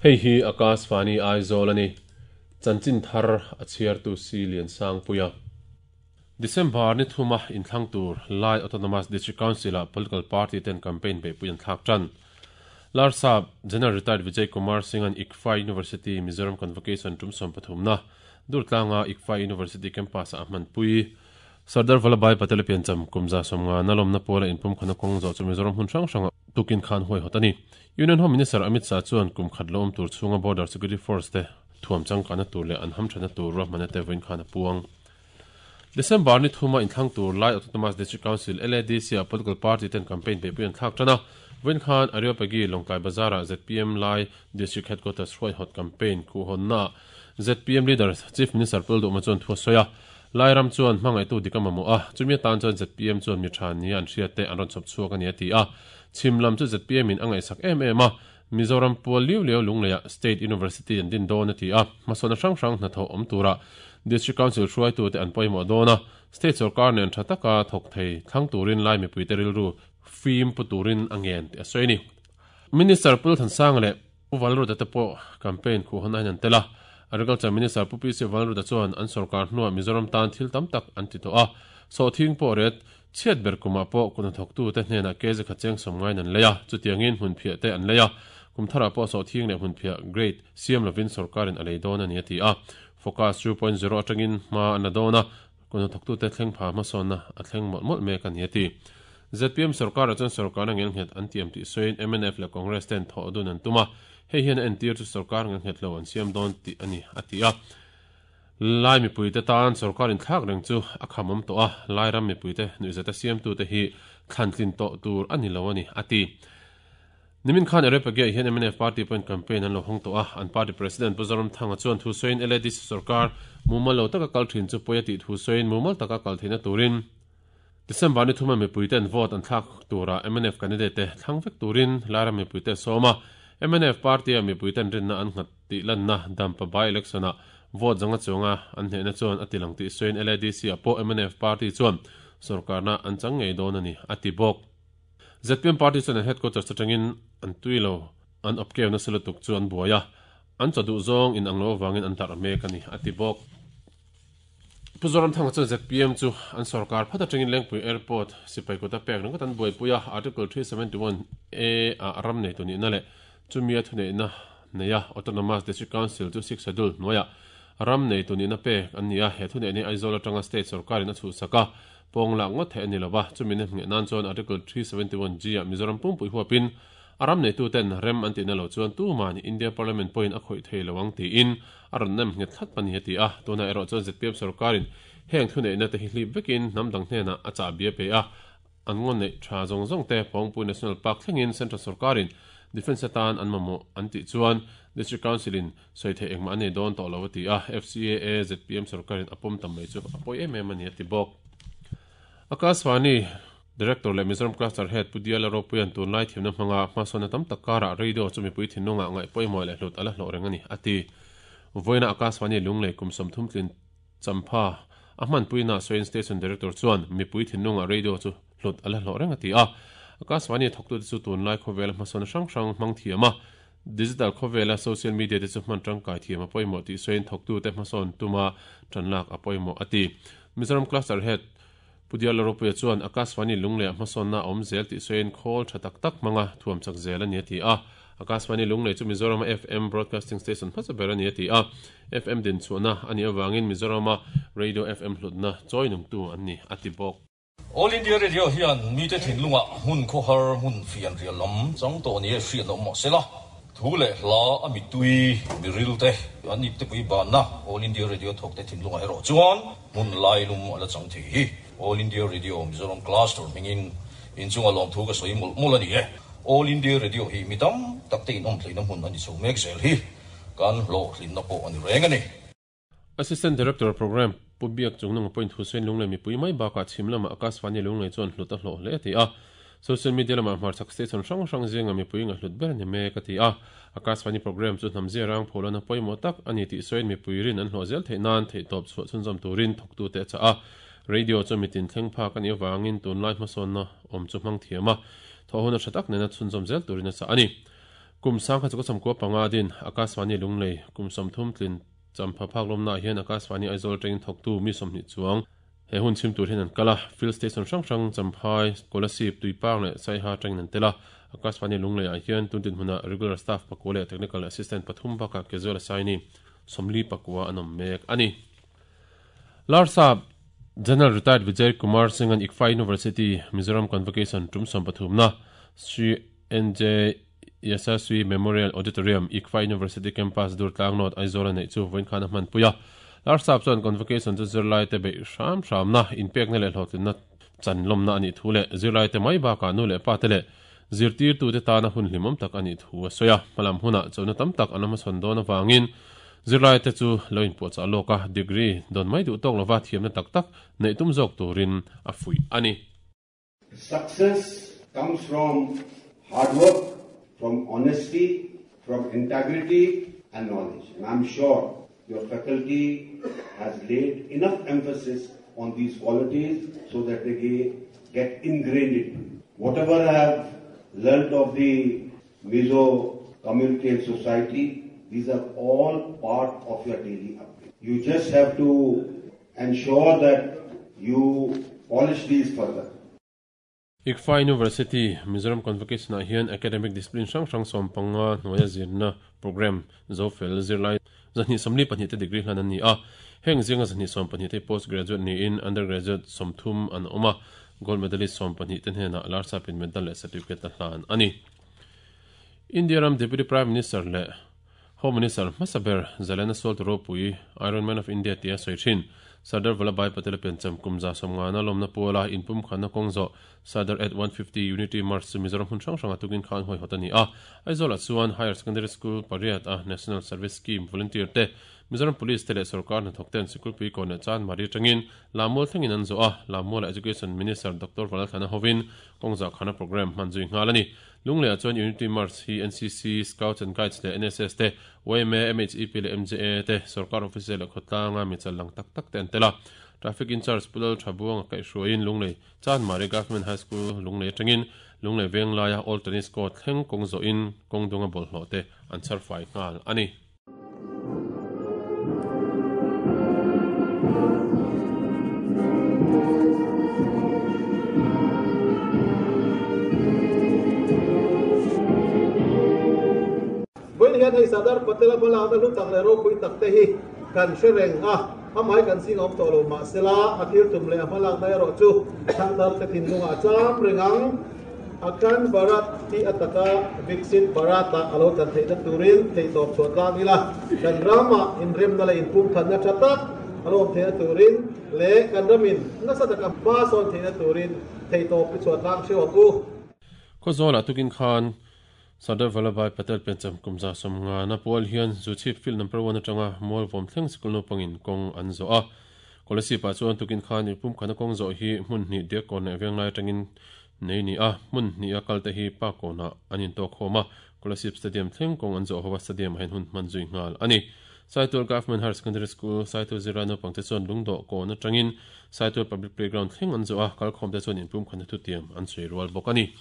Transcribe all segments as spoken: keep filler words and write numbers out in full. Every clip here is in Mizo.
Hei hi Akashvani Aizawl ani. Chanchin thar a chhiartu si Lian Sangpuia. December ni thuma inthlang tur Lai Autonomous District Council a political party ten campaign be puian thlak tan. Larsap General Retired Vijay Kumar Singh an ICFAI University Mizoram Convocation tum som pathum na Durtlanga ICFAI University campus a hman pui. Sardar Vallabhbhai Patel piancham kumza somnga nalom na pola inpum khana kong zo chu Mizoram hun hrang hranga tukin khan hoi hotani. Union Home Minister Amit Shah chuan kum khat lom tur chunga Border Security Force te thuam chang kana tur le an ham thana tur ra manate voin khana puang. December ni thuma inthlang tur Lai Autonomous District Council L A D C a political party ten campaign pe puian thlak tana. Voin khan Areopagi Longkai Bazara Z P M Lai District Headquarters hruai hot campaign khu honna Z P M leader Chief Minister Puldu Machon thu soya. Lai ram chuan hmangai tu dikama mo a chumi tan chuan Z P M chuan mi tha ni an hria te an ron chop chuak ani ati a chimlam chu Z P M in angai sak em em a Mizoram pual liu liu lungleia State University an din don ati a masona hrang hrang hna tho om tura District Council hruai tu te an pawimawh dawn a State sarkar nen tha taka thawk thei thlang turin lai mipui te rilru fim pu turin angen ti a sawi ni. Minister Pul Thansang le Pu Valruta te pawh campaign khu hawn a hian an tel a. Agriculture Minister Pu P C Valruta chuan an sarkar hnuah Mizoram tan thil tam tak an ti tawh a. So thing pawh ret chhiat ber kumah pawh kuna thawk tu te hnenah kezi kha cheng sawm ngain an lei a chutiangin hmun phiah te an lei a kum tharah pawh so thing leh hmun phiah grade siam lovin sarkarin a lei dawn ani a ti a. Focus two point zero atangin hma an la dawn a kuna thawk tu te thleng pha hmasawnna a thleng mawlh mawlh mek ani a ti. Z P M sarkar a chuan sarkar a ngel nghet an tiam tih sawiin M N F leh Congress ten thawh dun an tum a hei hian en tir chu sarkar ngel nghet lo an siam dawn tih ani a ti a. Lai mipui te tan sarkarin thlak reng chu a khamawm tawh a lai ram mipui te nuihzat a siam tu te hi thlantlin tawh tur ani lo ani a ti. Nimin khan Areopagi hian M N F party point campaign an lo hawng tawh a an party president Pu Zoram Thanga chuan thu sawiin L A D C sarkar mumal lo taka kal thin chu pawi a tih thu sawiin mumal taka kal theihna turin December ni thuma mipui ten vote an thlak tura M N F candidate te thlang vek turin lai ram mipui te sawma M N F party a mipui ten rinna an nghat tih lanna dampa by election a vote zanga chunga an hnehna chuan a tilang tih sawiin L A D C a pawh M N F party chuan sarkarna an chang ngei dawn ani a ti bawk. Z P M party chuan an headquarters atangin an tuilo an opkew na selatuk chu an buai a an chawduh zawng in ang lo wangin an tar mek ani a ti bawk. Pu Zoram Thanga chuan Z P M chu an sarkar phat atangin Lengpui Airport sipai kota pek ringawt an buaipuia Article three seventy-one A a ram nei tu ni na le chumia thuneihna neia Autonomous District Council chu six schedule hnuaia ram nei tu ni na pek an ni a he thuneih ni Aizawl atanga state sarkarin a chhuhsak a pawng lak ngawt theih ani lova chumi na hmeh nan chuan Article three seventy-one G a Mizoram pumpui huapin a ram nei tu ten rem an tihna lo chuan tumah ni India Parliament pawhin a khawih thei lo ang tiin a rawn nem nghet thlat pani a ti a tuna erawh chuan Z P M sarkarin heng thuneihna te hi hlip vekin hnam dang hnenah a chah bia pe a an ngaw neih tha zawng zawng te Phawngpui National Park thlengin Central sarkarin Defence atan an mamawh an tih chuan District Council in sawi theih engmah an nei dawn tawh lo a ti a F C A A Z P M sarkarin a pawm tam mai chu a pawi em em ani a ti bawk. Akashvani Director le Mizoram Cluster Head Pu Diala Ropuian tunlai thiamna hmanga hmasawnna tam tak karah radio chu mipui thinlunga ngaih pawimawh leh hlut ala hlawh reng ani a ti. Voina Akashvani lunglei kum sawmthum tlin champha a hmanpuina sawiin Station Director chuan mipui thinlunga radio chu hlut ala hlawh reng a ti a. Akashvani thawktu te chu tunlai khawvel hmasawnna hrang hrang hmang thiam a digital khawvela social media te chu hman tangkai thiam a pawimawh tih sawiin thawktu te hmasawn tuma tanlak a pawimawh a ti. Mizoram Cluster Head Pu Diala Ropuia chuan Akashvani lunglei hmasawnna awm zel tih sawiin khawl tha tak tak hmanga thuam chak zel ani a ti a. Akashvani lunglei chu Mizoram F M Broadcasting Station hmasa ber ani a ti a. F M din chhuahna ani awangin Mizorama Radio F M hlutna chawi nungtu an ni a ti bawk. All India Radio hian mi te thinlunga hmun khawhar hmun fian rial lam chang tawh ni e hriat lo mah sela thu leh hla a mitui miril te an ip te pui banna All India Radio thawk te thinlunga erawh chuan hmun lai lum ala chang thei hi All India Radio Mizoram Cluster mingin inchunga lawm thu ka sawi mawlh mawlh ani e. All India Radio hi mitam tak te in awm theihna hmun ani chho mek zel hi kan hlawh hlinna pawh ani reng ani. Assistant Director Program Pu Biak Chungnung point Hussein Lunglei mipui mai bakah chhim lama Akashvani lunglei chuan hlut a hlawh hle a ti a. Social media lama hmarchhak station hrang hrang zinga mipui nga hlut ber ni mek a ti a. Akashvani program chu hnamzia rang pholana pawimawh tak ani tih sawiin mipui rin an hlawh zel theih nan theih tawp chhuah chhunzawm turin thawktu te a chah a. Radio chu mitin thleng phak ani awangin tunlai hmasawnna awm chu hmang thiam a thawh hun a tha tak nena chhunzawm zel turin a chah ani. Kum sang kha chu sam ko panga din Akashvani Lunglei kum som thum tlin champha phak lom na hian Akashvani Aizawl train thok tu mi som ni chuang he hun chim tur hian an kala field station hrang hrang Champhai Kolasib Tuipang le Saiha train an tela Akashvani Lunglei a hian tuntin huna regular staff pakole technical assistant pathum baka casual assignee somli pakwa anom mek ani. Larsap General Retired Vijay Kumar Singh an I C F A University Mizoram Convocation tum som pathum na Sri N J Yasaswi Memorial Auditorium I C F A University Campus Durtlang North Aizawl nei chu voin khana man puya. Larsap chuan convocation chu zirlai te be hram hram na inpek na le hlotlin na chanlom na ani thu le zirlai te mai ba ka nu le pa te le zirtir tu te ta na hun hlimom tak ani thu a soya malam huna chona tam tak anama son don awangin zirlai te chu loin po cha loka degree don mai du tok lova thiam na tak tak nei tum jok turin a fui ani. Success comes from hard work, from honesty, from integrity and knowledge. And I'm sure your faculty has laid enough emphasis on these qualities so that they get ingrained into you. Whatever I have learnt of the Mizo community and society, these are all part of your daily upbringing. You just have to ensure that you polish these further. I C F A University Mizoram Convocation a hian academic discipline hrang hrang som panga hnuaia zirna program zofel zirlai zahni somli pahnih te degree hlan an ni a heng zinga zahni som pahnih te postgraduate ni in undergraduate somthum an awma gold medalist som pahnih te hnena Larsapin medal leh certificate a hlan ani. India ram Deputy Prime Minister le Home Minister Masaber Zalena Salt Ropui Iron Man of India tia soi thin Sardar Vallabhbhai Patel pencham kumza somngana lomna pola inpum khana kongzo Sardar at one fifty Unity March Mizoram hun hrang hrang atukin khan hoi hotani a Aizawl chuan Higher Secondary School pariat a National Service Scheme volunteer te Mizoram Police te le sarkar na thokten sikul pui kone chan mari tangin lamol thangin an zo a lamol Education Minister Doctor Valthana Hovin kongza khana program manzui ngalani Lunglei chuan Unity March hi N C C Scouts and Guides le N S S te Y M A M H E P le M J A te sarkar officer le khotlanga mi chalang tak tak ten tela Traffic in charge Pulal Thabuang kai hruain Lunglei Chan Mari Government High School Lunglei tangin Lunglei Venglaya All Tennis Court thleng kongzo in kongdunga bol hlo te an charfai ngal ani. Hian hei Sardar Patel bala na lu tak le ro pui tak te hi kan hrereng a amai kan sing om to lo ma sela athil tum le amalang dai ro chu thangdar te thin lunga cham rengang akan Bharat ti ataka Viksit Bharata alo chan thei na turin thei top chot la ila kan rama in rem na le in pum than na chata alo thei na turin le kan ramin na sa taka ba son thei na turin thei top chot lang cheu ku ko zola tukin khan Sardar Vallabhbhai Patel pencham kumza somnga na pol hian zuchip field number one atanga mol vom thleng sikul no pangin kong an zo a kolasi pa chuan tukin khan pum khana kong zo hi hmun ni de kon venglai tangin nei ni a hmun ni a kalte hi pa kona anin to khoma Kolasib Stadium thleng kong an zo howa stadium hen hun manzui ngal ani Saitul Government Higher Secondary School Saitul Zirano pangte chuan lungdo ko na tangin Saitul Public Playground thleng an zo a kalkhom te chuan in pum khana thu tiam an sui rual bok ani.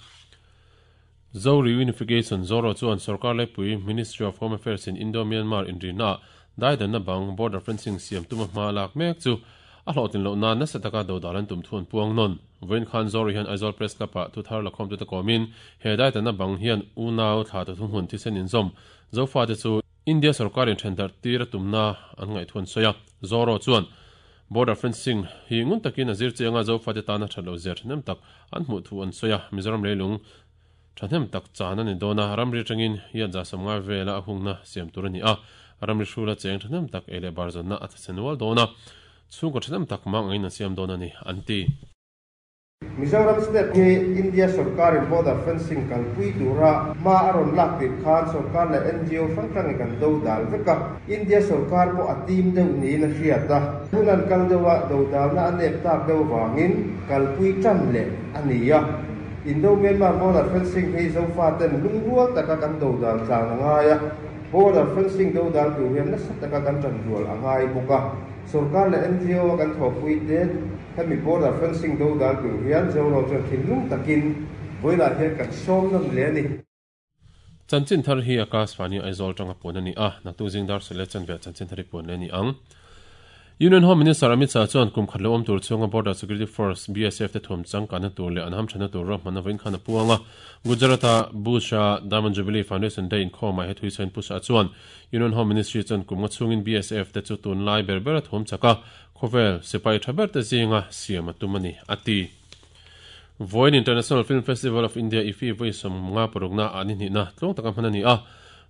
Zo Reunification Zoro chuan sarkar lepui Ministry of Home Affairs in Indo-Myanmar in Rina daidan na bang border fencing siam tuma hma lak mek chu a hlotin lo na na sataka do dalan tum thun puang non voin khan Zoro hian Aizawl Press Club a thu thar lakhom tu ta komin he daidan na bang hian unau thla ta thum hun thi sen in zom zo fa te chu India sarkar in thendar tir tumna an ngai thun soya Zoro chuan border fencing hi ngun takin azir chenga zo fa te ta na thalo zer nem tak an hmu thu an soya Mizoram leilung Thanem tak chana ni dona ramri tangin hian za samnga vela ahungna siam tur ani a ramri hrula cheng thanem tak ele barzon na atsenwal dona chungko thanem tak mang aina siam dona ni anti Mizoram state hi India sarkar in border fencing kalpui tura ma aron lak ti khan sarkar la N G O hrang kan do dal veka India sarkar po atim deuh ni na hriata hunan kal dewa do dal na anep tak deuh wangin kalpui tran le ania Indo-Myanmar border fencing hi zo fa ten lungrual taka kan do dal tlang angaya border fencing do dal tu hian nasa taka kan tran rual angai boka sarkar la N G O kan thopui te hemi border fencing do dal tu hian zo ro chuan thinlung takin voila hian kan som nam le ani. Chanchin thar hi Akashvani Aizawl tanga puan ani a naktuk zingdar sele chanve chanchin thari puan le ni ang. Union Home Minister Amit Shah chuan kum khat lo awm tur chunga Border Security Force B S F te thawm changkana tur leh an hamthana tur ro hmana vawiin khan a puanga Gujarata Busha Diamond Jubilee Foundation Day inkhawmah he thui sain Pu Shah chuan Union Home Ministry chuan kum nga chungin B S F te chu tun lai ber ber a thawm chaka khawvel sipai tha ber te zinga siam a tum ani ati. Voin International Film Festival of India I F I voi som nga parukna ani ni na tlong taka hman ani a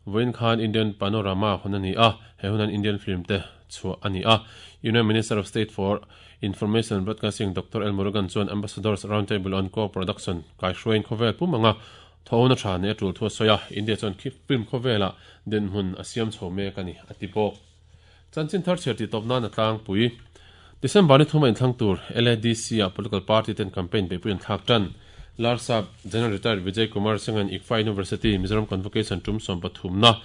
Voin khan Indian Panorama honani a he hunan Indian film te chu ani a Union Minister of State for Information and Broadcasting Doctor L Murugan chuan Ambassadors Roundtable on Co-Production kai hruain khawvel pumanga thona tha ne tul thu soya India chuan khi film khawvela den hun asiam chhome kani atipok chanchin thar cherti topna na tlang pui December ni thuma inthlang tur L A D C a political party ten campaign be puin thak tan Larsap General Retired Vijay Kumar Singh and I C F A University Mizoram Convocation tum som pathum na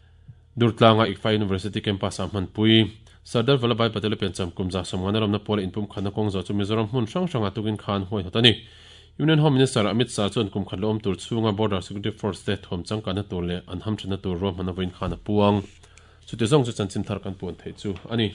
Durtlanga I C F A University campus a hman pui Sardar Vallabhbhai Patel pencham kumza somngana ramna pol inpum khana kong zo chu Mizoram hmun hrang hranga tukin khan hoi hotani Union Home Minister Amit Shah chuan kum khat lom tur chunga Border Security Force te thom changkana tur le an hamthana tur ro hmana voin khana puang chu te zong chu chanchin thar kan puan thei chu ani.